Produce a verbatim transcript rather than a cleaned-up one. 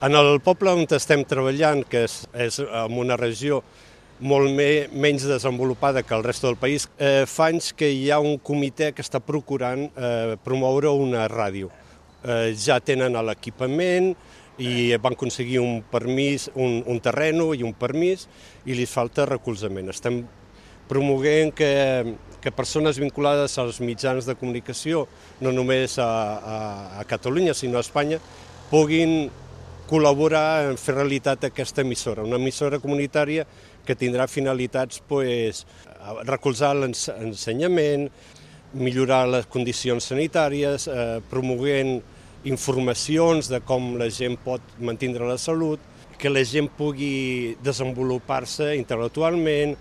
En el poble on estem treballant, que és, és en una regió molt me, menys desenvolupada que el resta del país, eh, fa anys que hi ha un comitè que està procurant eh, promoure una ràdio. Eh, ja tenen l'equipament i van aconseguir un permís, un, un terreno i un permís, i li falta recolzament. Estem promoguent que, que persones vinculades als mitjans de comunicació, no només a, a, a Catalunya, sinó a Espanya, puguin col·laborar en fer realitat aquesta emissora, una emissora comunitària que tindrà finalitats pues, recolzar l'ensenyament, millorar les condicions sanitàries, eh, promoguent informacions de com la gent pot mantenir la salut, que la gent pugui desenvolupar-se intel·lectualment.